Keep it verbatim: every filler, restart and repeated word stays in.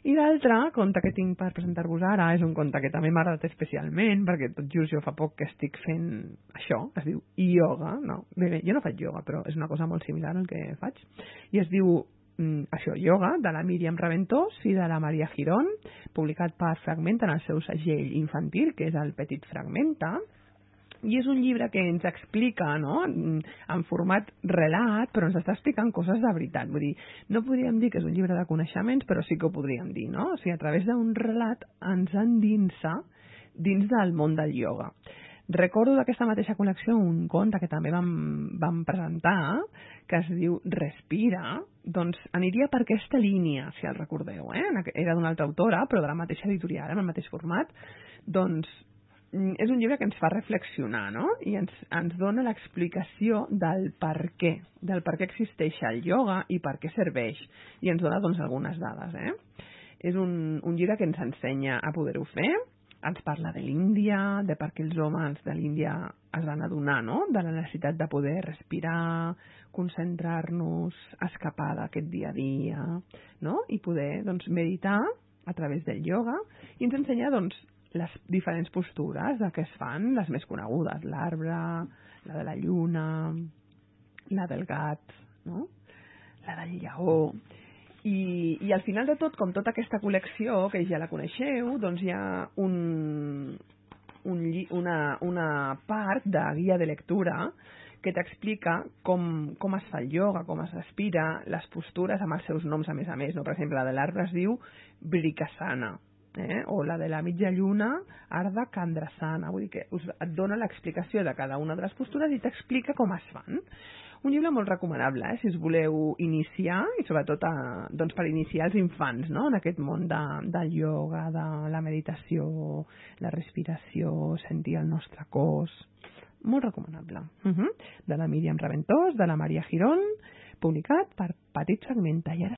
I l'altre conte que tinc per presentar-vos ara és un conte que també m'ha agradat especialment, perquè tot just jo fa poc que estic fent això, es diu ioga, no? Bé, bé, jo no faig ioga, però és una cosa molt similar al que faig, i es diu mm, això, ioga, de la Míriam Raventós i de la Maria Girón, publicat per Fragmenta en el seu segell infantil, que és el Petit Fragmenta. I és un llibre que ens explica, no?, en format relat, però ens està explicant coses de veritat. Vull dir, no podríem dir que és un llibre de coneixements, però sí que ho podríem dir, no? O sigui, a través d'un relat ens endinsa dins del món del ioga. Recordo d'aquesta mateixa col·lecció un conte que també vam, vam presentar, que es diu Respira, doncs aniria per aquesta línia, si el recordeu, eh? Era d'una altra autora, però de la mateixa editorial, en el mateix format. Doncs és un llibre que ens fa reflexionar, no? I ens, ens dona l'explicació del per què, del per què existeix el ioga i per què serveix. I ens dona, doncs, algunes dades, eh? És un, un llibre que ens ensenya a poder-ho fer, ens parla de l'Índia, de per què els homes de l'Índia es van adonar, no?, de la necessitat de poder respirar, concentrar-nos, escapar d'aquest dia a dia, no?, i poder, doncs, meditar a través del ioga, i ens ensenya, doncs, les diferents postures de què es fan, les més conegudes, l'arbre, la de la lluna, la del gat, no?, la del lleó. I, I al final de tot, com tota aquesta col·lecció, que ja la coneixeu, doncs hi ha un, un, una, una part de guia de lectura que t'explica com, com es fa el ioga, com es respira, les postures amb els seus noms a més a més, no? Per exemple, la de l'arbre es diu Vrikasana, Eh? o la de la mitja lluna, Ardha Chandrasana. Vull dir que us, et dona l'explicació de cada una de les postures i t'explica com es fan. Un llibre molt recomanable, eh? Si us voleu iniciar, i sobretot a, doncs per iniciar els infants, no?, en aquest món de, del ioga, de la meditació, la respiració, sentir el nostre cos. Molt recomanable. Uh -huh. De la Míriam Raventós, de la Maria Girón, publicat per Petit Fragmenta. I ara